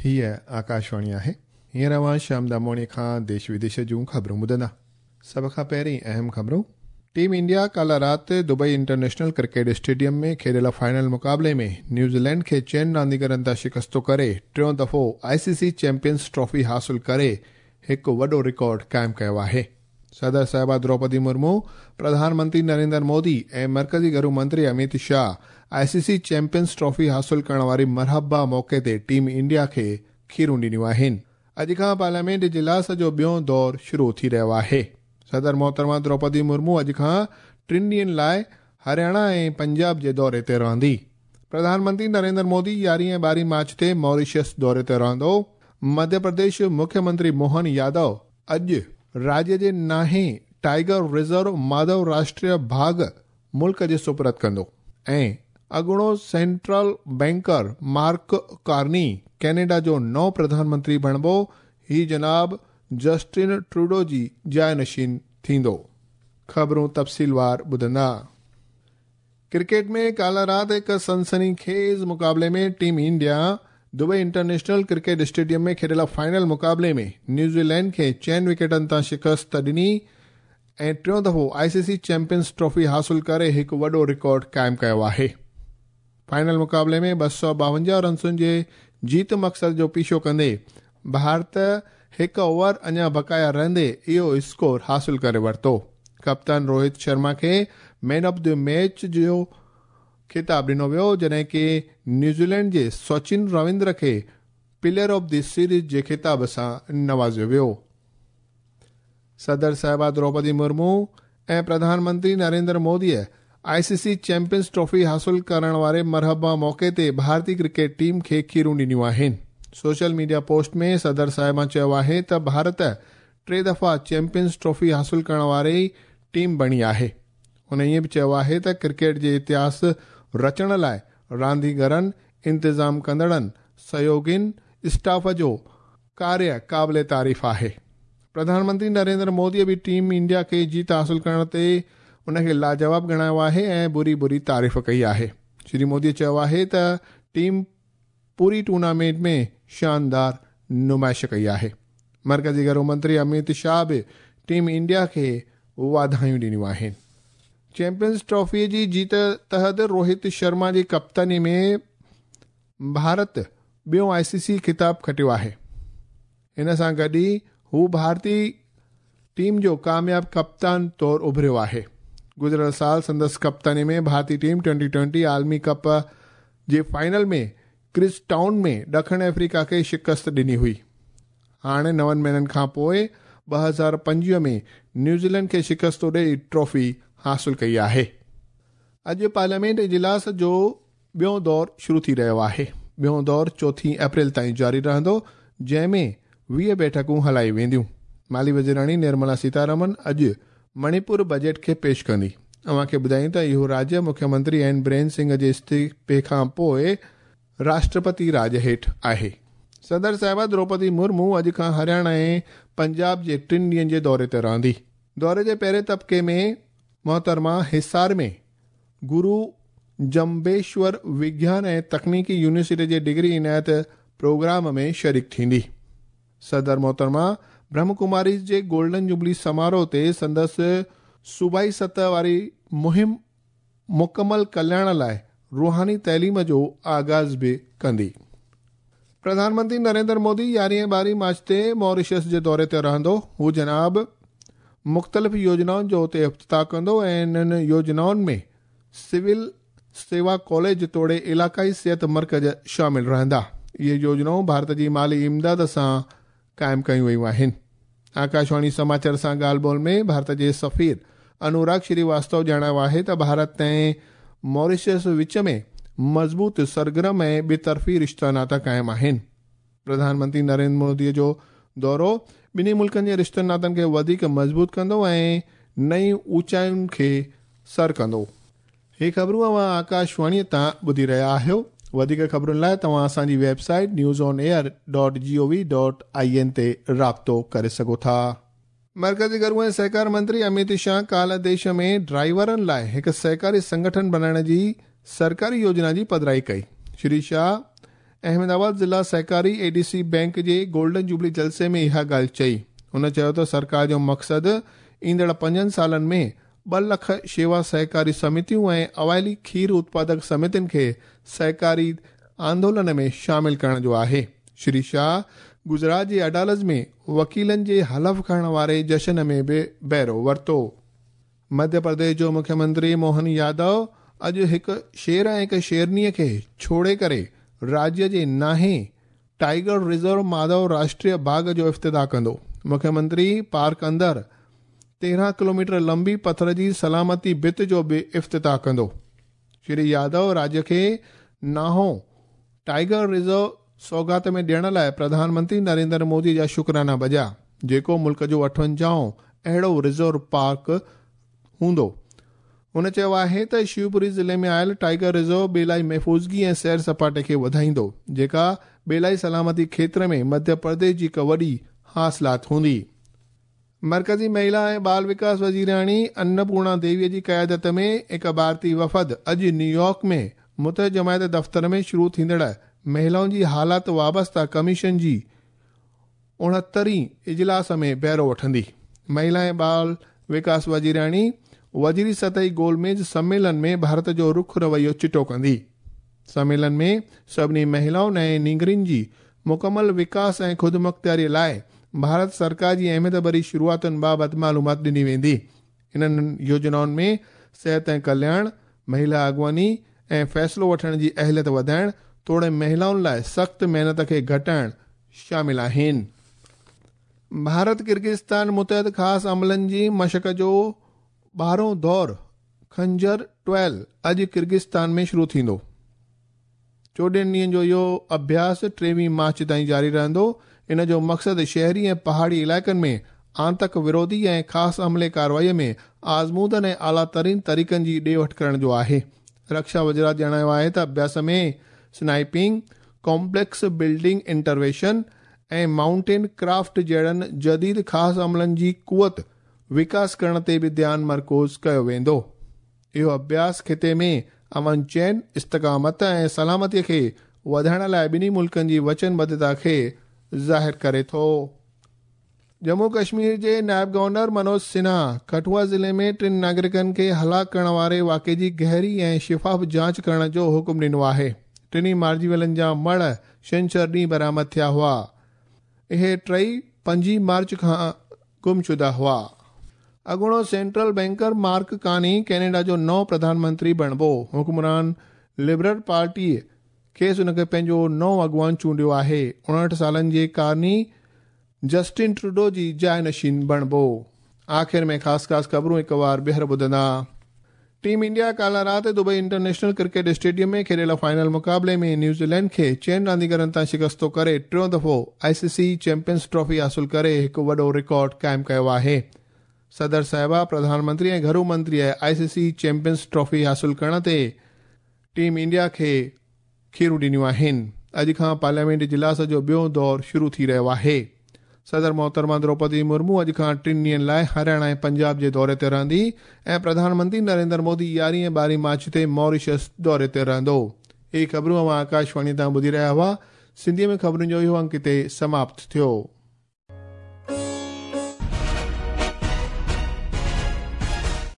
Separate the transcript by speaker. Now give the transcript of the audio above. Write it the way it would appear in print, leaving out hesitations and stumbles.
Speaker 1: هيء آڪاشواڻي آهي. هينئر اوهان شيام داموڻي کان ديش وديش جون خبرون ٻڌندا. سڀ کان پهرين اهم خبرون. ٽيم انڊيا ڪالهه رات دبئي انٽرنيشنل ڪرڪيٽ اسٽيڊيم ۾ کيڏيل فائنل مقابلي ۾ نيوزيلينڊ کي چئن رانديگرن تان شڪست ڪري ٽيون دفعو آء سي سي چيمپيئنز ٽرافي حاصل ڪري هڪ وڏو رڪارڊ قائم ڪيو آهي. صدر صاحبه دروپدي مرمو، پرڌان منتري نريندر مودي ۽ مرڪزي گهرو منتري اميت شاهه آء سي سي چيمپيئنز ٽرافي حاصل ڪرڻ واري مرحبا موقعي تي ٽيم انڊيا کي کيرون ڏنيون آهن. اڄ کان پارليامينٽ اجلاس جو ٻيون دور شروع ٿي رهيو آهي. صدر محترمه دروپدي مرمو اڄ کان ٽن ڏينهن لاء هرياڻا ۽ پنجاب جي دوري تي رهندي. پرڌان منتري نريندر مودي يارهين ۽ ٻارهين مارچ تي ماريشس دوري تي رهندو. مڌيه پرديش مکيه منتري موهن يادو اڄ راجيه جي نائين ٽائيگر ريزرو ماڌو راشٽريه باگهه ملڪ جي سپرد ڪندو ۽ اڳوڻو central banker mark Carney Canada جو نئون پرڌان منتري بڻبو. هي جناب جسٽن ٽروڊو جي جاء نشين ٿيندو. خبرون تفصيلوار ٻڌندا. ڪرڪيٽ ۾ ڪالهه رات هڪ سنسني خيز مقابلي ۾ team India Dubai international cricket stadium ۾ کيڏيل فائنل مقابلي ۾ نيوزيلينڊ کي چئن وڪيٽن تان شڪست ڏني ۽ ٽيون دفعو آء سي سي چيمپيئنز ٽرافي حاصل ڪري هڪ وڏو رڪارڊ قائم ڪيو آهي. فائنل مقابلي ۾ 252 رنسن جي جيت مقصد جو پيڇو ڪندي ڀارت هڪ اوور اڃا بقايا رهندي اهو اسڪور حاصل ڪري ورتو. ڪپتان روهت شرما کي مين آف the match جو خطاب ڏنو ويو جڏهن ڪي نيوزيلينڊ جي سچن رويندر کي پليئر آف the series جي خطاب سان نوازيو ويو. صدر صاحبه دروپدي مرمو ۽ پرڌان منتري نريندر موديء آء سي سي چيمپيئنز ٽرافي حاصل ڪرڻ واري مرحبا موقعي تي ڀارتي ڪرڪيٽ ٽيم کي کيرون ڏنيون آهن. سوشل ميڊيا پوسٽ ۾ صدر صاحبه چيو آهي ته ڀارت ٽي دفعا چيمپيئنز ٽرافي حاصل ڪرڻ واري ٽيم بڻي آهي. هن ائين به چيو آهي ته ڪرڪيٽ جي اتهاس رچڻ لاء رانديگرن، انتظام ڪندڙن، سهيوگين، اسٽاف جو ڪاريه قابل تعريف آهي. پرڌان منتري نريندر موديء به ٽيم انڊيا کي جيت حاصل ڪرڻ تي ان کي لاجواب ڳڻايو آهي ۽ ڀري ڀري تعريف ڪئي آهي. شري موديء چيو آهي ته ٽيم پوري ٽورنامينٽ ۾ شاندار نمائش ڪئي آهي. مرڪزي گهرو منتري اميت شاهه به ٽيم انڊيا کي واڌايون ڏنيون آهن. چيمپيئنز ٽرافيء جي جيت تحت روهت شرما جي ڪپتاني ۾ ڀارت ٻيون آء سي سي خطاب کٽيو آهي. ان سان گڏ ئي هو ڀارتي ٽيم جو ڪامياب ڪپتان طور اڀريو آهي. گذريل سال سندس ڪپتاني ۾ ڀارتي ٽيم ٽوئنٽي ٽوئنٽي عالمي ڪپ جي فائنل ۾ ڪرس ٽائون ۾ ڏکڻ آفريڪا کي شڪست ڏني هئي. هاڻي نون مهينن کان پوء 2025 ۾ نيوزيلينڊ کي شڪست ڏئي ٽرافي حاصل ڪئي آهي. اڄ پارليامينٽ اجلاس جو ٻيون دور شروع ٿي رهيو آهي. ٻيون دور چوٿين اپريل تائين جاري رهندو، جنهن ۾ 20 بيٺڪون هلائي وينديون. مالي وزيراڻي نرملا سيتارامن اڄ مڻيپور بجيٽ کي پيش ڪندي. اوهان کي ٻڌايون ته اهو راجيه مکيه منتري اين برين سنگهه جي استعيفي کان پوء راشٽرپتي راڄ هيٺ آهي. صدر صاحبه دروپدي مرمو اڄ کان هرياڻا ۽ پنجاب جي ٽن ڏينهن جي دوري تي رهندي. دوري جي پهرين طبقي ۾ محترمه حصار ۾ گرو جمبيشور وگيان ۽ تڪنيڪي يونيورسٽي جي ڊگري عنايت پروگرام ۾ شريڪ ٿيندي. صدر محترمه برهم ڪماريز جي گولڊن جوبلي سماروهه تي سندس صوبائي سطح واري مهم مڪمل ڪلياڻ لاء روحاني تعليم جو آغاز به ڪندي. پرڌان منتري نريندر مودي يارهين ۽ ٻارهين مارچ تي ماريشس جي دوري تي رهندو. هو جناب مختلف يوجنائن جو اتي افتتاح ڪندو ۽ انهن يوجنائن ۾ سول سيوا ڪاليج توڙي علاقائي صحت مرڪز شامل رهندا. اهي يوجنائون ڀارت جي مالي امداد سان قائم ڪيون ويون آهن. آڪاشواڻي سماچار سان ڳالهه ٻولهه ۾ ڀارت جي سفير انوراگ شري واستو ڄاڻايو آهي ته ڀارت ۽ ماريشس وچ ۾ مضبوط، سرگرم ۽ ٻطرفي رشتا ناتا قائم آهن. پرڌان منتري نريندر مودي جو دورو ٻنهي ملڪن جي رشتن ناتن کي وڌيڪ مضبوط ڪندو ۽ نئين اوچاين کي سر ڪندو. هي خبرون اوهان آڪاشواڻيء تان ٻڌي رهيا آهيو. وڌيڪ خبرن لاء توهان اسان جي website news on air dot G O V dot I N تي رابطو ڪري سگهو ٿا. مرڪزي گهرو ۽ سهڪار منتري اميت شاهه ڪالهه ديش ۾ ڊرائيورن لاء هڪ سهڪاري سنگٺن بنائڻ جي سرڪاري يوجنا جي پڌرائي ڪئي. شري شاهه احمد آباد ضلع سهڪاري اي ڊي سي بئنڪ جي گولڊن جوبلي جلسي ۾ اها ڳالهه چئي. هن چيو ته سرڪار جو مقصد ايندڙ 5 سالن ۾ 2 لک شيوا سهڪاري سمتيون ۽ اوائلي کير اتپادڪ سمتين کي سهڪاري آندولن ۾ شامل ڪرڻ جو آهي. شري شاهه گجرات جي اڊالج ۾ وڪيلن جي حلف کڻڻ واري جشن ۾ به بهرو ورتو. مڌيه پرديش جو مکيه منتري موهن يادو اڄ هڪ شير ۽ هڪ شيرنيء کي ڇوڙي ڪري راجيه جي ناهين ٽائيگر رزرو ماڌو راشٽريه باغ جو افتتاح ڪندو. مکيه منتري پارڪ اندر 13 ڪلوميٽر لمبي پٿر جي سلامتي ڀت جو به افتتاح ڪندو. شري يادو راجيه کي ناهون ٽائيگر رزرو سوغات ۾ ڏيڻ لاء پرڌان منتري نريندر مودي جا شڪرانا بجا، جيڪو ملڪ جو 58هون اهڙو رزرو پارڪ هوندو. هن چيو آهي ته شيوپوري ضلعي ۾ آيل ٽائيگر رزرو ٻيلائي محفوظگي ۽ سير سپاٽي کي وڌائيندو، جيڪا ٻيلائي سلامتي کيتر ۾ مڌيه پرديش جي هڪ وڏي حاصلات هوندي. مرڪزي مهلا ۽ ٻال وڪاس وزيراڻي انپورڻا ديويء جي قيادت ۾ هڪ ڀارتي وفد اڄ نيويارڪ ۾ متحده جماعت دفتر ۾ شروع ٿيندڙ مهلائن جي حالات وابسته ڪميشن جي 69هين اجلاس ۾ بهرو وٺندي. مهلا ۽ ٻال وڪاس وزيراڻي وزيري سطحي گول ميز سميلن ۾ ڀارت جو رخ رويو چٽو ڪندي. سميلن ۾ سڀني مهلائن ۽ نينگرين جي مڪمل وڪاس ۽ خودمختياري لاء ڀارت سرڪار جي اهميت ڀري شروعاتن بابت معلومات ڏني ويندي. انهن يوجنائن ۾ صحت ۽ ڪلياڻ، مهلا اڳواڻي ۽ فيصلو وٺڻ جي اهليت وڌائڻ توڙي مهلائن لاء سخت محنت کي گهٽائڻ شامل آهن. ڀارت ڪرغزستان متحد خاص عملن جي مشق جو 12هون دور خنجر 12 اڄ ڪرغزستان ۾ شروع ٿيندو. 14 ڏينهن جو اهو اڀياس 23 مارچ تائين جاري رهندو. ان جو مقصد شهري ۽ پهاڙي علائقن ۾ آتنڪ وروڌي ۽ خاص عملي ڪارروائي ۾ آزمودن ۽ اعليٰ ترين طريقن جي ڏي وٺ ڪرڻ جو آهي. رڪشا وزارت ڄاڻايو آهي ته اڀياس ۾ sniping, complex building intervention ۽ mountain craft جهڙن جديد خاص عملن جي قوت وڪاس ڪرڻ تي به ڌيان مرڪوز ڪيو ويندو. اهو اڀياس خطي ۾ امن چين، استقامت ۽ سلامتي کي وڌائڻ لاء ٻنهي ملڪن جي وچنبڌتا کي ظاهر ڪري ٿو. ڄمون ڪشمير جي نائب گورنر منوج سنها ڪٺوا ضلعي ۾ 3 ناگرڪن کي هلاڪ ڪرڻ واري واقعي جي گهري ۽ شفاف جاچ ڪرڻ جو حڪم ڏنو آهي. ٽنهي مارجي ويلن جا مڙهه ڇنڇر ڏينهن برآمد ٿيا هئا. اهي ٽئي 5 مارچ کان گمشده هئا. اڳوڻو سينٽرل بئنڪر مارڪ ڪاني ڪينيڊا جو نئون پرڌان منتري بڻبو. حڪمران لبرل پارٽيء کيس ان کي پنهنجو نئون اڳواڻ چونڊيو آهي. 59 سالن جي ڪارني جسٽن ٽروڊو جي جاء نشين بڻبو. آخر ۾ خاص خاص خبرون هڪ وار ٻيهر ٻڌندا. ٽيم انڊيا ڪالهه رات دبئي انٽرنيشنل ڪرڪيٽ اسٽيڊيم ۾ کيڏيل فائنل مقابلي ۾ نيوزيلينڊ کي 6 رانديگرن تان شڪستو ڪري ٽيون دفعو آء سي سي چيمپيئنز ٽرافي حاصل ڪري هڪ وڏو رڪارڊ قائم ڪيو آهي. صدر صاحبه، پرڌان منتري ۽ گهرو منتري آء سي سي چيمپيئنز ٽرافي حاصل ڪرڻ تي ٽيم انڊيا کي کيرون ڏنيون آهن. اڄ کان پارليامينٽ اجلاس جو ٻيو دور شروع ٿي رهيو آهي. صدر محترمه دروپدي مرمو اڄ کان 3 ڏينهن لاء هرياڻا ۽ پنجاب جي دوري تي رهندي ۽ پرڌان منتري نريندر مودي 11 ۽ 12 مارچ تي ماريشس دوري تي رهندو. اهي خبرون اوهان آڪاشواڻي تان ٻڌي رهيا هئا. سنڌيء ۾ خبرن جو اهو انڪ هتي سماپت ٿيو.